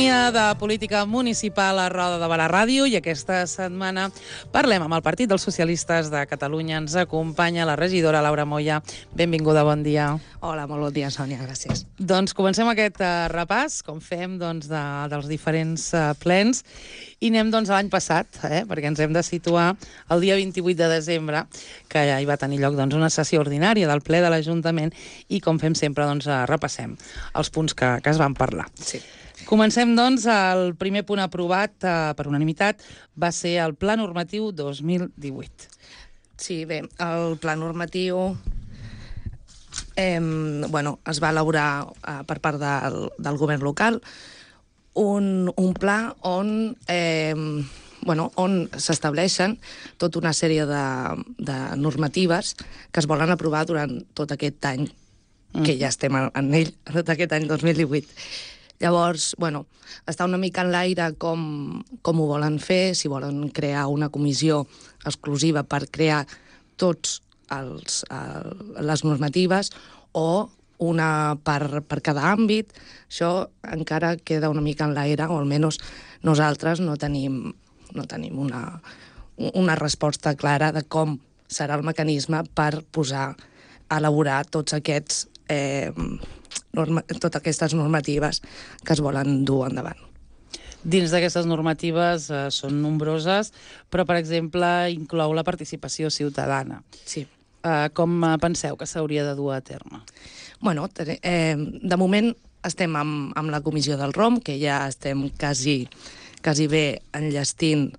Sintonia de política municipal a Roda de Barà Ràdio i aquesta setmana parlem amb el Partit dels Socialistes de Catalunya. Ens acompanya la regidora Laura Moya. Benvinguda, bon dia. Hola, molt bon dia, Sònia, gràcies. Doncs comencem aquest repàs, com fem dels diferents plens, i anem a l'any passat, perquè ens hem de situar el dia 28 de desembre, que ja hi va tenir lloc una sessió ordinària del ple de l'Ajuntament i, com fem sempre, repassem els punts que es van parlar. Sí. Comencem, el primer punt aprovat per unanimitat va ser el Pla Normatiu 2018. Sí, bé, el Pla Normatiu es va elaborar per part del govern local un pla on s'estableixen tota una sèrie de normatives que es volen aprovar durant tot aquest any, que ja estem en ell, tot aquest any 2018. Llavors, està una mica en l'aire com ho volen fer, si volen crear una comissió exclusiva per crear tots les normatives o una per cada àmbit. Això encara queda una mica en l'aire, o almenys nosaltres no tenim una resposta clara de com serà el mecanisme per posar a elaborar totes aquestes normatives que es volen dur endavant. Dins d'aquestes normatives són nombroses, però, per exemple, inclou la participació ciutadana. Sí. Com penseu que s'hauria de dur a terme? De moment estem amb la comissió del ROM, que ja estem quasi bé enllestint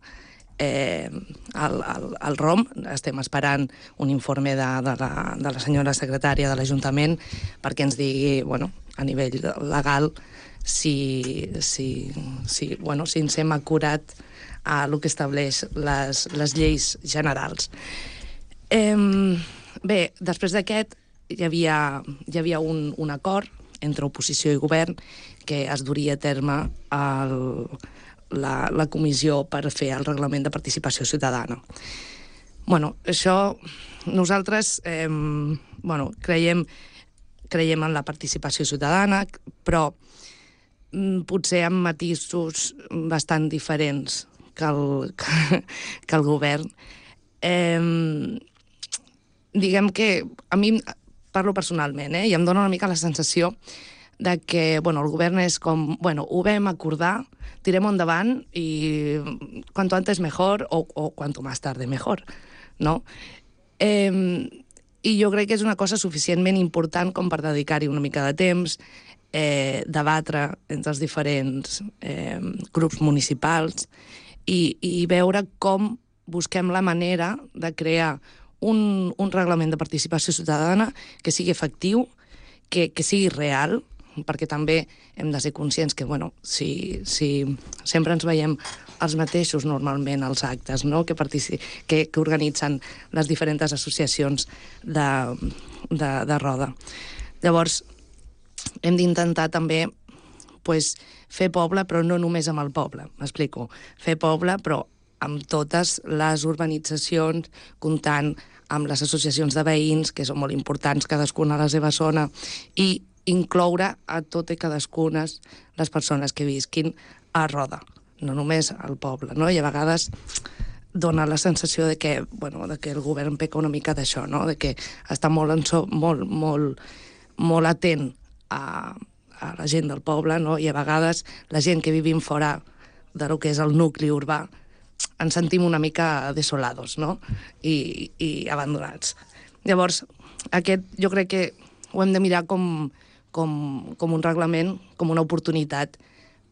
el ROM. Estem esperant un informe de la senyora secretària de l'Ajuntament perquè ens digui, a nivell legal, si ens hem acurat a el que estableix les lleis generals. Bé, després d'aquest hi havia un acord entre oposició i govern que es duria a terme la comissió per fer el reglament de participació ciutadana. Això nosaltres creiem en la participació ciutadana, però potser amb matisos bastant diferents que el govern. Diguem que a mi, parlo personalment, i em dóna una mica la sensació de que el govern és com, ho vam acordar, tirem endavant i cuanto antes mejor o cuanto más tarde mejor, no? I jo crec que és una cosa suficientment important com per dedicar-hi una mica de temps, debatre entre els diferents grups municipals i veure com busquem la manera de crear un reglament de participació ciutadana que sigui efectiu, que sigui real, perquè també hem de ser conscients que, si sempre ens veiem els mateixos normalment als actes, no?, que organitzen les diferents associacions de Roda. Llavors, hem d'intentar també fer poble, però no només amb el poble, m'explico. Fer poble, però amb totes les urbanitzacions, comptant amb les associacions de veïns, que són molt importants, cadascuna a la seva zona, i incloure a totes i cadascunes les persones que visquin a Roda, no només al poble, no? I a vegades dona la sensació de que el govern peca una mica d'això, no? De que està molt atent a la gent del poble, no? I a vegades la gent que vivim fora del que és el nucli urbà ens sentim una mica desolados, no? I abandonats. Llavors, jo crec que ho hem de mirar com un reglament, com una oportunitat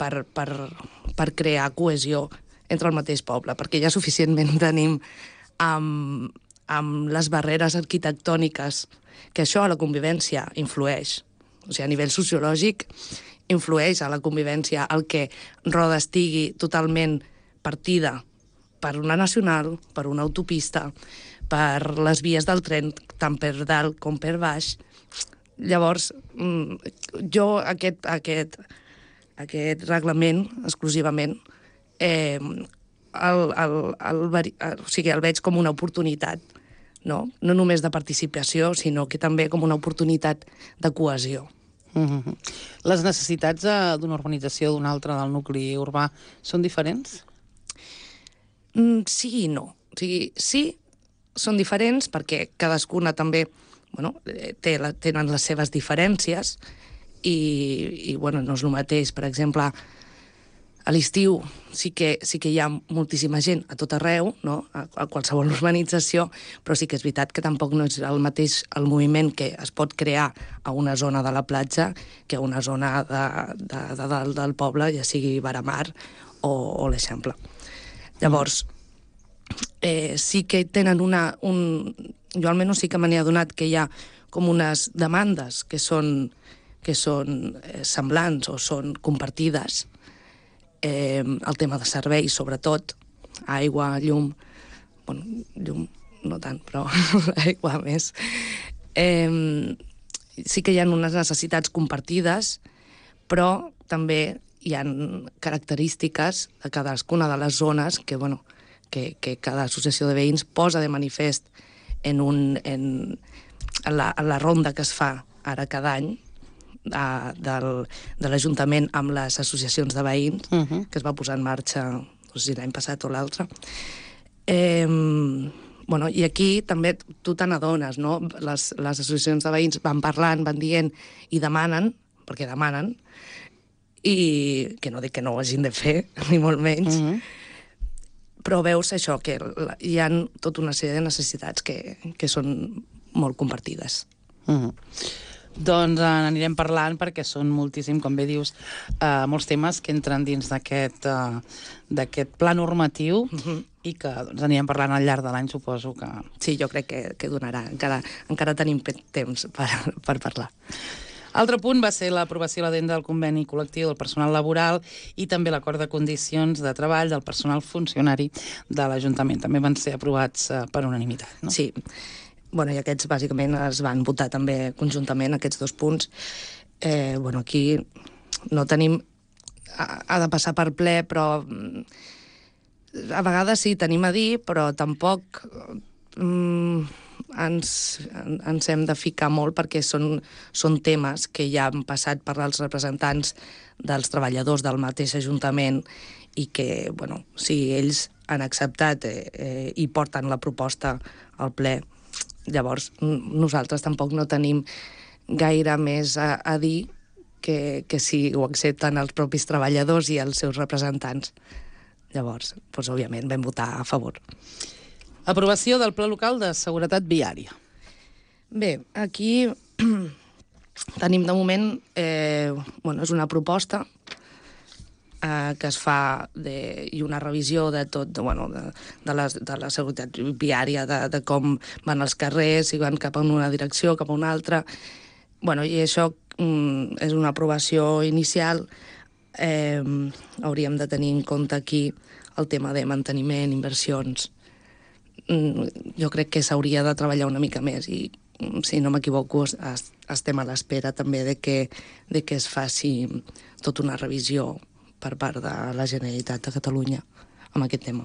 per crear cohesió entre el mateix poble, perquè ja suficientment tenim amb les barreres arquitectòniques, que això a la convivència influeix. O sigui, a nivell sociològic influeix a la convivència el que Roda estigui totalment partida per una nacional, per una autopista, per les vies del tren, tant per dalt com per baix. Llavors, jo aquest reglament, exclusivament, el veig com una oportunitat, no només de participació, sinó que també com una oportunitat de cohesió. Les necessitats d'una urbanització d'una altra del nucli urbà són diferents? Sí i no. O sigui, sí, són diferents perquè cadascuna també tenen les seves diferències i no és el mateix. Per exemple, a l'estiu sí que hi ha moltíssima gent a tot arreu, no? A qualsevol urbanització, però sí que és veritat que tampoc no és el mateix el moviment que es pot crear a una zona de la platja que a una zona de dalt del poble, ja sigui Varamar o l'Eixample. Llavors, sí que tenen jo almenys sí que me n'he adonat que hi ha com unes demandes que són semblants o són compartides. El tema de serveis, sobretot, aigua, llum, llum no tant, però aigua més. Sí que hi ha unes necessitats compartides, però també hi ha característiques de cadascuna de les zones que cada associació de veïns posa de manifest en la ronda que es fa ara cada any de l'Ajuntament amb les associacions de veïns, que es va posar en marxa, no sé si l'any passat o l'altre. I aquí també tu te n'adones, no? Les associacions de veïns van parlant, van dient i demanen, perquè demanen, i que no dic que no ho hagin de fer, ni molt menys, però veus això, que hi ha tota una sèrie de necessitats que són molt compartides. Doncs n'anirem parlant perquè són moltíssim, com bé dius, molts temes que entren dins d'aquest pla normatiu i que anirem parlant al llarg de l'any, suposo que... Sí, jo crec que donarà. Encara tenim temps per parlar. Altre punt va ser l'aprovació a l'addenda del conveni col·lectiu del personal laboral i també l'acord de condicions de treball del personal funcionari de l'Ajuntament. També van ser aprovats per unanimitat, no? Sí. I aquests bàsicament es van votar també conjuntament, aquests dos punts. Aquí no tenim... Ha de passar per ple, però a vegades sí, tenim a dir, però tampoc ens hem de ficar molt perquè són temes que ja han passat per als representants dels treballadors del mateix Ajuntament i que, si ells han acceptat i porten la proposta al ple, llavors nosaltres tampoc no tenim gaire més a dir que si ho accepten els propis treballadors i els seus representants. Llavors, òbviament, vam votar a favor. Aprovació del Pla Local de Seguretat Viària. Bé, aquí tenim de moment, és una proposta que es fa i una revisió de tot, de la seguretat viària, de com van els carrers, si van cap a una direcció, cap a una altra. I això és una aprovació inicial. Hauríem de tenir en compte aquí el tema de manteniment, inversions. Jo crec que s'hauria de treballar una mica més i, si no m'equivoco, estem a l'espera també de que es faci tota una revisió per part de la Generalitat de Catalunya amb aquest tema.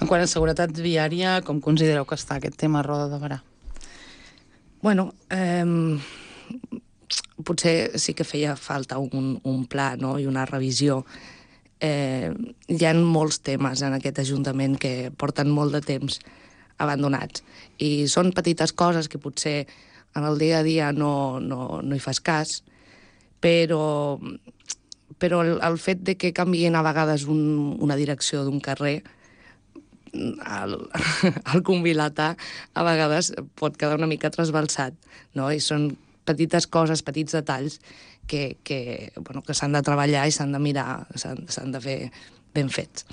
En quant a seguretat viària, com considereu que està aquest tema a Roda de Berà? Potser sí que feia falta un pla, no?, i una revisió. Hi ha molts temes en aquest Ajuntament que porten molt de temps abandonats. I són petites coses que potser en el dia a dia no hi fas cas, però el fet de que canviïn a vegades una direcció d'un carrer, el convilatà a vegades pot quedar una mica trasbalsat, no? I són petites coses, petits detalls que s'han de treballar i s'han de mirar, s'han de fer ben fets.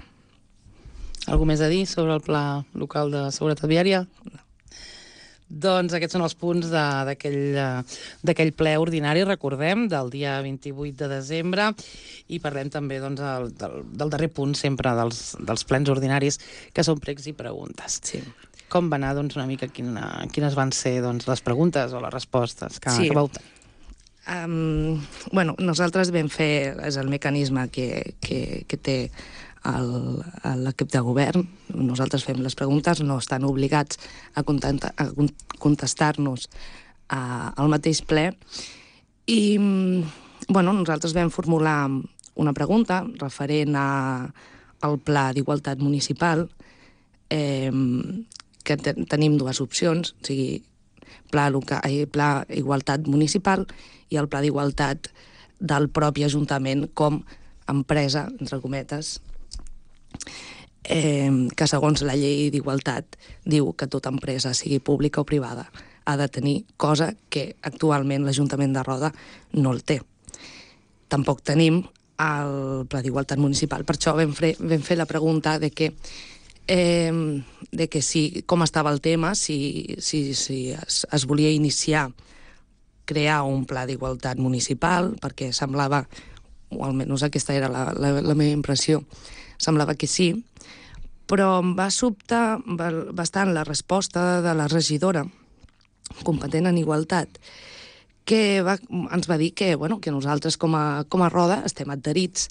Algú més a dir sobre el Pla Local de Seguretat Viària? No. Doncs aquests són els punts d'aquell ple ordinari, recordem, del dia 28 de desembre, i parlem també del darrer punt sempre dels plens ordinaris, que són pregs i preguntes. Sí. Com va anar, una mica, quines van ser les preguntes o les respostes que vau tenir? Nosaltres vam fer, és el mecanisme que té l'equip de govern. Nosaltres fem les preguntes, no estan obligats a contestar-nos al mateix ple, I, nosaltres vam formular una pregunta referent al Pla d'Igualtat Municipal, que tenim dues opcions, o sigui, Pla Igualtat Municipal i el Pla d'Igualtat del propi Ajuntament com empresa, entre cometes, que segons la llei d'igualtat diu que tota empresa, sigui pública o privada, ha de tenir, cosa que actualment l'Ajuntament de Roda no el té. Tampoc tenim el Pla d'Igualtat Municipal. Per això vam fer la pregunta de que com estava el tema, si es volia iniciar crear un Pla d'Igualtat Municipal, perquè semblava, o almenys aquesta era la meva impressió, semblava que sí, però em va sobtar bastant la resposta de la regidora competent en igualtat, que ens va dir que nosaltres com a Roda estem adherits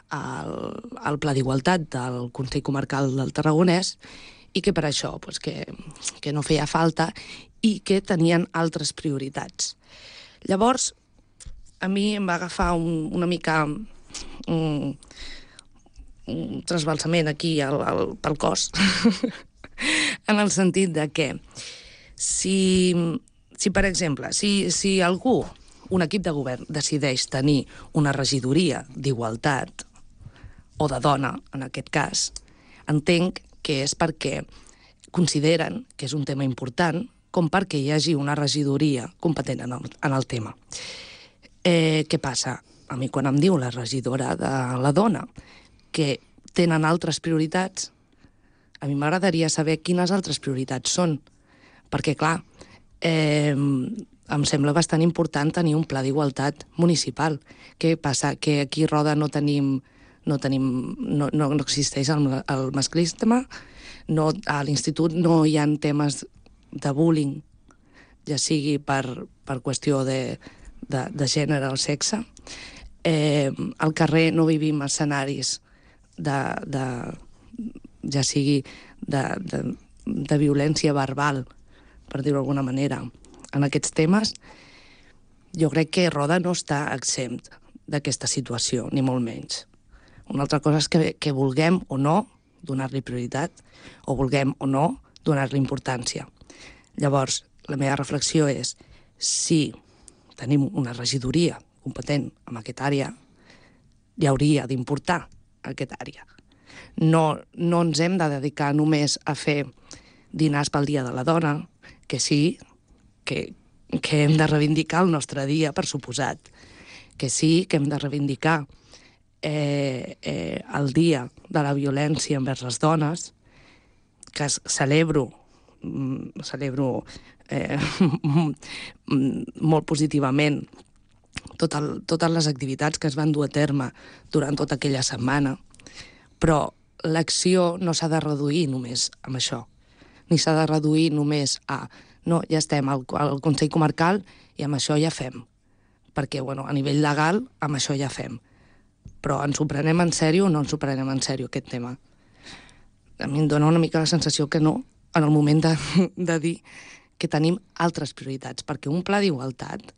al Pla d'Igualtat del Consell Comarcal del Tarragonès i que per això que no feia falta i que tenien altres prioritats. Llavors, a mi em va agafar una mica un trasbalsament aquí pel cos, en el sentit de que si per exemple, si algú, un equip de govern, decideix tenir una regidoria d'igualtat, o de dona, en aquest cas, entenc que és perquè consideren que és un tema important com perquè hi hagi una regidoria competent en el tema. Què passa? A mi quan em diu la regidora de la dona que tenen altres prioritats, a mi m'agradaria saber quines altres prioritats són. Perquè, clar, em sembla bastant important tenir un pla d'igualtat municipal. Què passa? Que aquí a Roda no existeix el masclisme, a l'institut no hi ha temes de bullying, ja sigui per qüestió de gènere o sexe. Al carrer no vivim escenaris ja sigui de violència verbal, per dir-ho d'alguna manera, en aquests temes. Jo crec que Roda no està exempt d'aquesta situació, ni molt menys. Una altra cosa és que vulguem o no donar-li prioritat, o vulguem o no donar-li importància. Llavors, la meva reflexió és, si tenim una regidoria competent en aquesta àrea, li hauria d'importar aquesta àrea. No ens hem de dedicar només a fer dinars pel Dia de la Dona, que sí, que hem de reivindicar el nostre dia, per suposat, que sí, que hem de reivindicar el dia de la violència envers les dones, que celebro molt positivament totes les activitats que es van dur a terme durant tota aquella setmana, però l'acció no s'ha de reduir només amb això, ni s'ha de reduir només a no, ja estem al Consell Comarcal i amb això ja fem, perquè a nivell legal amb això ja fem. Però ens ho prenem en sèrio o no ens ho prenem en sèrio, aquest tema? A mi em dona una mica la sensació que no, en el moment de dir que tenim altres prioritats, perquè un pla d'igualtat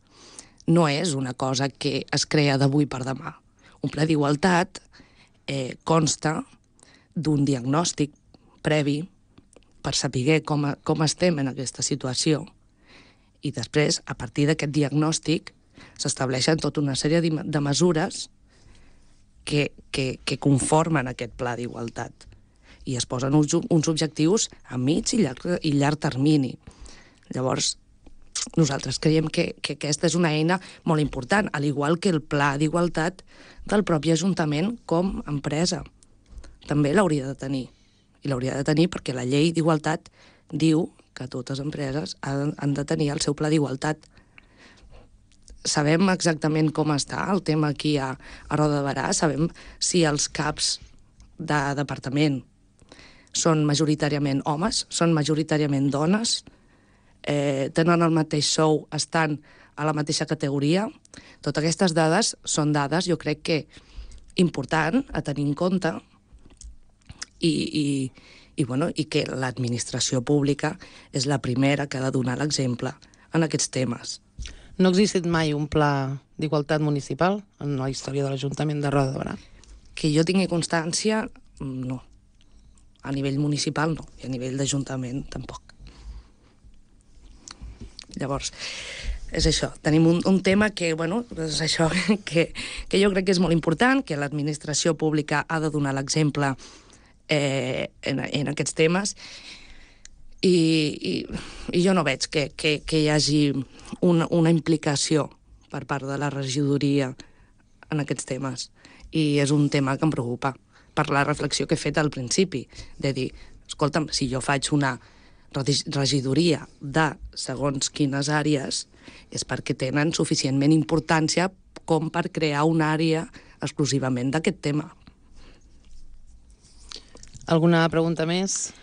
no és una cosa que es crea d'avui per demà. Un pla d'igualtat consta d'un diagnòstic previ per saber com estem en aquesta situació i després, a partir d'aquest diagnòstic, s'estableixen tota una sèrie de mesures que conformen aquest pla d'igualtat i es posen uns objectius a mig i llarg termini. Llavors, nosaltres creiem que aquesta és una eina molt important, al igual que el pla d'igualtat del propi Ajuntament com a empresa. També l'hauria de tenir. I l'hauria de tenir perquè la llei d'igualtat diu que totes les empreses han de tenir el seu pla d'igualtat. Sabem exactament com està el tema aquí a Roda de Berà, sabem si els caps de departament són majoritàriament homes, són majoritàriament dones, tenen el mateix sou, estan a la mateixa categoria. Totes aquestes dades són dades, jo crec que important a tenir en compte i que l'administració pública és la primera que ha de donar l'exemple en aquests temes. No ha existit mai un pla d'igualtat municipal en la història de l'Ajuntament de Roda de Berà? Que jo tingui constància, no. A nivell municipal no, i a nivell d'Ajuntament tampoc. Llavors, és això, tenim un tema que, bueno, és això, que jo crec que és molt important, que l'administració pública ha de donar l'exemple en aquests temes, i jo no veig que hi hagi una implicació per part de la regidoria en aquests temes, i és un tema que em preocupa, per la reflexió que he fet al principi, de dir, escolta'm, si jo faig una regidoria de segons quines àrees, és perquè tenen suficientment importància com per crear una àrea exclusivament d'aquest tema. Alguna pregunta més?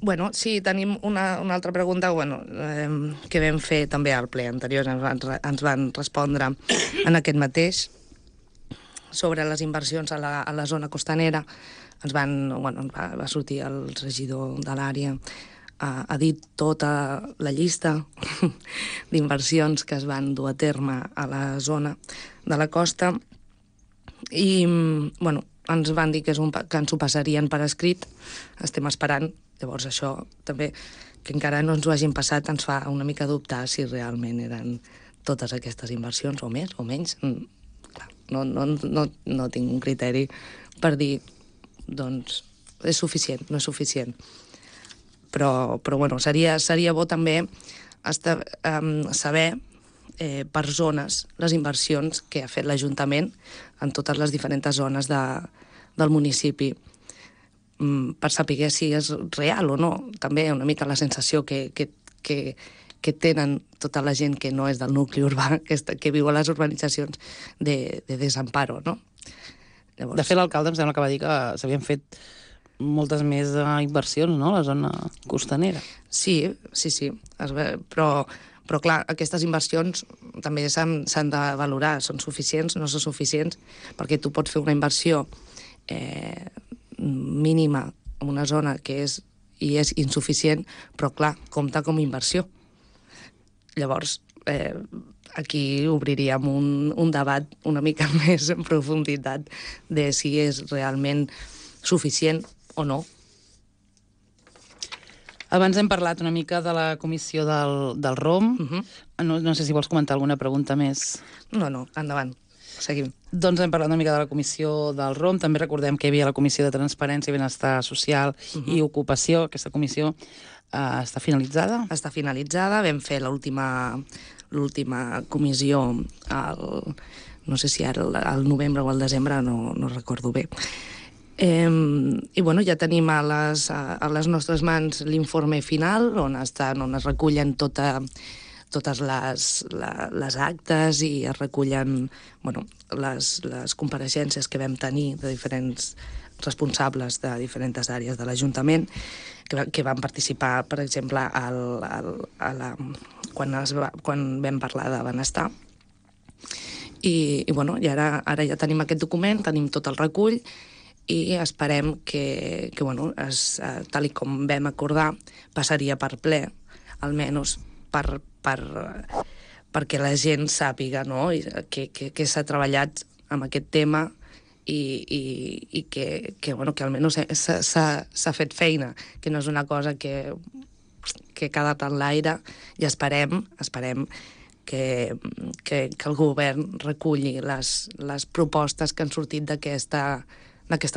Bueno, sí, tenim una altra pregunta que vam fer també al ple anterior, ens van respondre en aquest mateix, sobre les inversions a la zona costanera. Va sortir el regidor de l'àrea, ha dit tota la llista d'inversions que es van dur a terme a la zona de la costa, i ens van dir que ens ho passarien per escrit. Estem esperant. Llavors això també, que encara no ens ho hagin passat, ens fa una mica dubtar si realment eren totes aquestes inversions, o més o menys. Clar, no tinc un criteri per dir, doncs, és suficient, no és suficient. Però seria bo també saber per zones les inversions que ha fet l'Ajuntament en totes les diferents zones del municipi, per saber si és real o no. També una mica la sensació que tenen tota la gent que no és del nucli urbà, que viu a les urbanitzacions, de desamparo, no? Llavors... De fet, l'alcalde em sembla que va dir que s'havien fet moltes més inversions, no?, a la zona costanera. Sí. Però clar, aquestes inversions també s'han de valorar. Són suficients, no són suficients, perquè tu pots fer una inversió mínima en una zona que és insuficient, però clar, compta com a inversió. Llavors, aquí obriríem un debat una mica més en profunditat de si és realment suficient o no. Abans hem parlat una mica de la comissió del ROM. No sé si vols comentar alguna pregunta més. No, endavant. Seguim. Doncs hem parlat una mica de la comissió del ROM. També recordem que hi havia la comissió de Transparència i Benestar Social i Ocupació. Aquesta comissió està finalitzada? Està finalitzada. Vam fer l'última comissió no sé si ara al novembre o al desembre, no recordo bé. I ja tenim a les nostres mans l'informe final, on es recullen totes les actes i es recullen les compareixences que vam tenir de diferents responsables de diferents àrees de l'Ajuntament que van participar, per exemple, quan vam parlar de benestar. I ara ja tenim aquest document, tenim tot el recull, i esperem que tal com vam acordar, passaria per ple, almenys perquè la gent sàpiga, no?, que s'ha treballat amb aquest tema i que almenys s'ha fet feina, que no és una cosa que ha quedat en l'aire, i esperem que el govern reculli les propostes que han sortit d'aquesta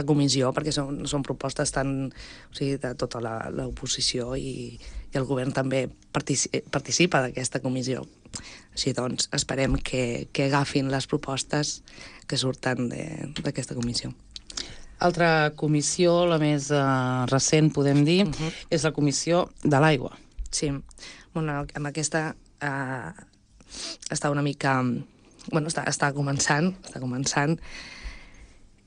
comissió, perquè són propostes de tota l'oposició, i el govern també participa d'aquesta comissió. Així doncs, esperem que agafin les propostes que surten d'aquesta comissió. Altra comissió, la més recent, podem dir, és la comissió de l'aigua. Sí, amb aquesta està una mica... està començant,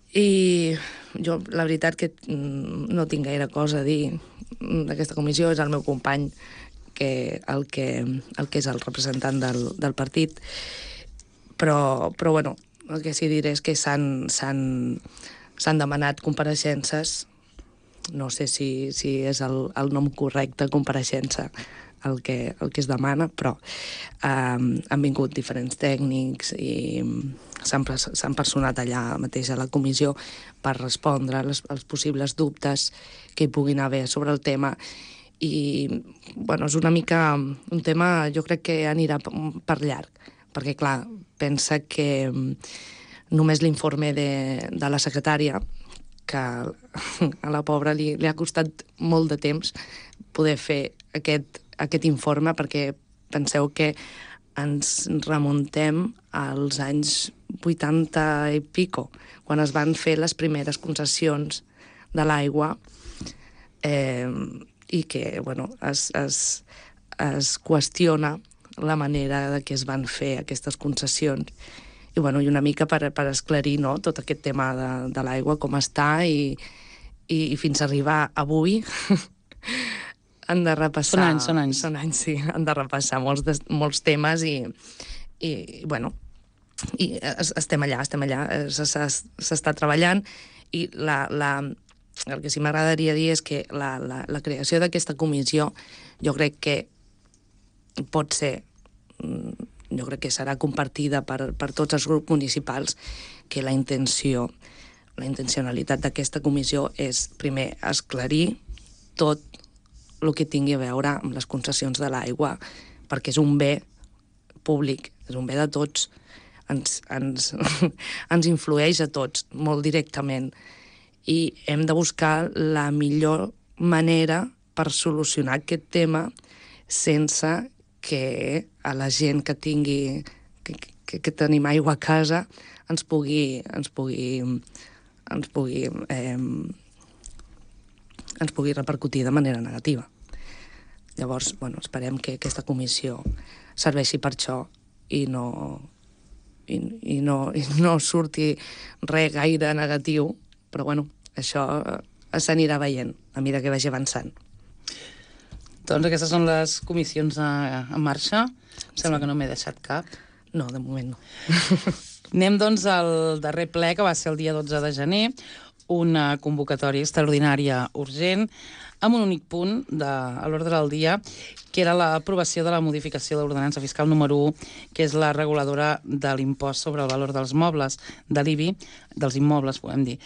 i jo, la veritat, que no tinc gaire cosa a dir d'aquesta comissió. És el meu company el que és el representant del partit, però el que sí diré és que s'han demanat compareixences. No sé si és el nom correcte, compareixença, el que es demana, però han vingut diferents tècnics i s'han personat allà mateix a la comissió per respondre als possibles dubtes que hi puguin haver sobre el tema. I, bueno, és una mica un tema, jo crec que anirà per llarg, perquè, clar, pensa que només l'informe de la secretària, que a la pobra li ha costat molt de temps poder fer aquest informe, perquè penseu que ens remuntem als anys 80 i pico, quan es van fer les primeres concessions de l'aigua, i que, bueno, es qüestiona la manera de que es van fer aquestes concessions. I, bueno, i una mica per esclarir, no?, tot aquest tema de l'aigua, com està, i fins a arribar avui han de repassar... Són anys. Són anys, sí. Han de repassar molts temes i bueno, i estem allà, s'està treballant, i el que sí m'agradaria dir és que la creació d'aquesta comissió jo crec que pot ser, jo crec que serà compartida per tots els grups municipals, que la intencionalitat d'aquesta comissió és, primer, esclarir tot el que tingui a veure amb les concessions de l'aigua, perquè és un bé públic, és un bé de tots, ens influeix a tots molt directament, i hem de buscar la millor manera per solucionar aquest tema sense que a la gent que tingui que tenim aigua a casa ens pugui repercutir de manera negativa. Llavors, bueno, esperem que aquesta comissió serveixi per això i no surti res gaire negatiu, però, bueno, això s'anirà veient a mesura que vagi avançant. Doncs aquestes són les comissions en marxa. Em sembla que no m'he deixat cap. No, de moment no. Anem, doncs, al darrer ple, que va ser el dia 12 de gener, una convocatòria extraordinària urgent, amb un únic punt a l'ordre del dia, que era l'aprovació de la modificació de l'ordenança fiscal número 1, que és la reguladora de l'impost sobre el valor dels mobles, de l'IBI, dels immobles, podem dir,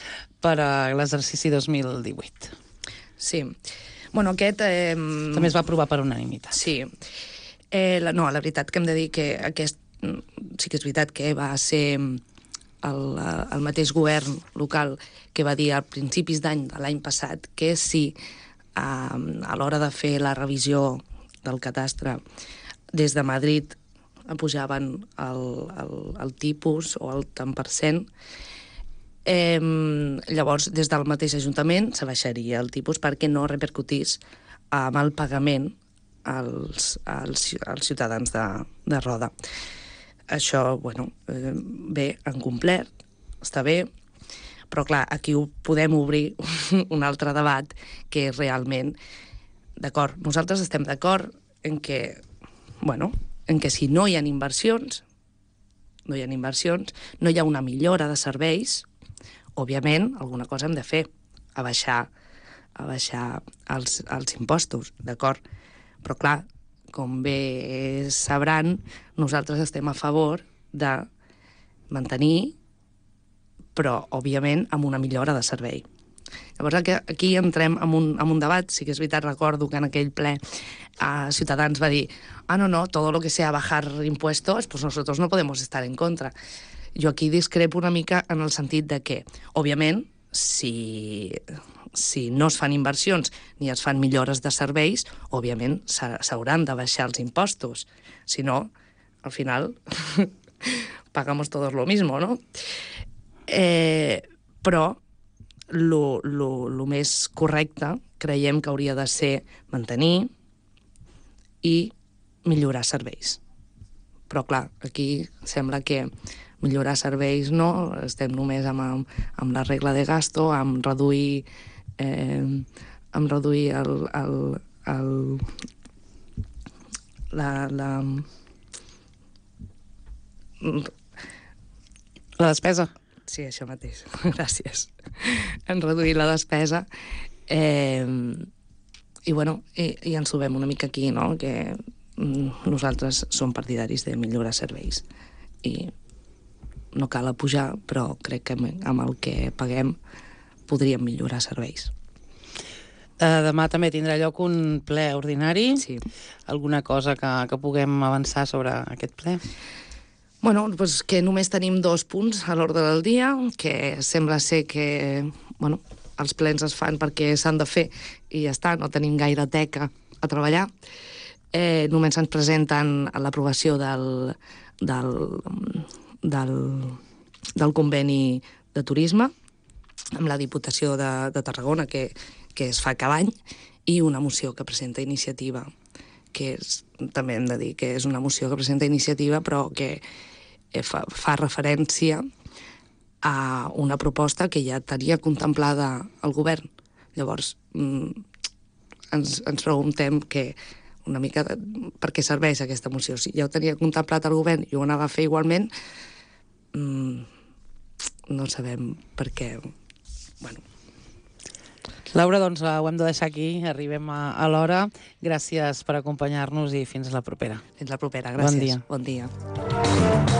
per a l'exercici 2018. Sí. Bueno, aquest... També es va aprovar per unanimitat. Sí. No, la veritat que hem de dir que aquest sí que és veritat que va ser el mateix govern local que va dir a principis d'any de l'any passat que si a l'hora de fer la revisió del catastre des de Madrid pujaven el tipus o el tant per cent, llavors des del mateix Ajuntament s'abaixaria el tipus perquè no repercutís amb el pagament als ciutadans de Roda. Això, bueno, bé, han complert, està bé, però clar, aquí podem obrir un altre debat que és realment, d'acord, nosaltres estem d'acord en que, bueno, en que si no hi ha inversions, no hi ha una millora de serveis, òbviament, alguna cosa hem de fer, abaixar els impostos, d'acord? Però clar, com bé sabran, nosaltres estem a favor de mantenir, però, òbviament, amb una millora de servei. Llavors, aquí entrem en un debat. Sí que és veritat, recordo que en aquell ple Ciutadans va dir no, todo lo que sea bajar impuestos, pues nosotros no podemos estar en contra. Jo aquí discrepo una mica en el sentit de que, òbviament, si no es fan inversions ni es fan millores de serveis, òbviament s'hauran de baixar els impostos. Si no, al final, pagamos todos lo mismo, ¿no? Però lo més correcte creiem que hauria de ser mantenir i millorar serveis. Però, clar, aquí sembla que millorar serveis no, estem només amb la regla de gasto, amb reduir la despesa. Sí, això mateix. Gràcies. En reduir la despesa. I ens ho veiem una mica aquí, no? Que nosaltres som partidaris de millorar serveis i no cal apujar, però crec que amb el que paguem podríem millorar serveis. Demà també tindrà lloc un ple ordinari. Sí. Alguna cosa que puguem avançar sobre aquest ple? Bueno, doncs que només tenim 2 punts a l'ordre del dia, que sembla ser que els plens es fan perquè s'han de fer i ja està, no tenim gaire teca a treballar. Només ens presenten l'aprovació del conveni de turisme amb la Diputació de Tarragona, que es fa cada any, i una moció que presenta Iniciativa, que també hem de dir que és una moció que presenta Iniciativa, però que fa referència a una proposta que ja tenia contemplada el govern. Llavors, ens preguntem una mica per què serveix aquesta moció. Si ja ho tenia contemplat el govern i ho anava a fer igualment, no sabem per què. Laura, doncs ho hem de deixar aquí, arribem a l'hora. Gràcies per acompanyar-nos i fins la propera. Fins la propera, gràcies. Bon dia. Bon dia.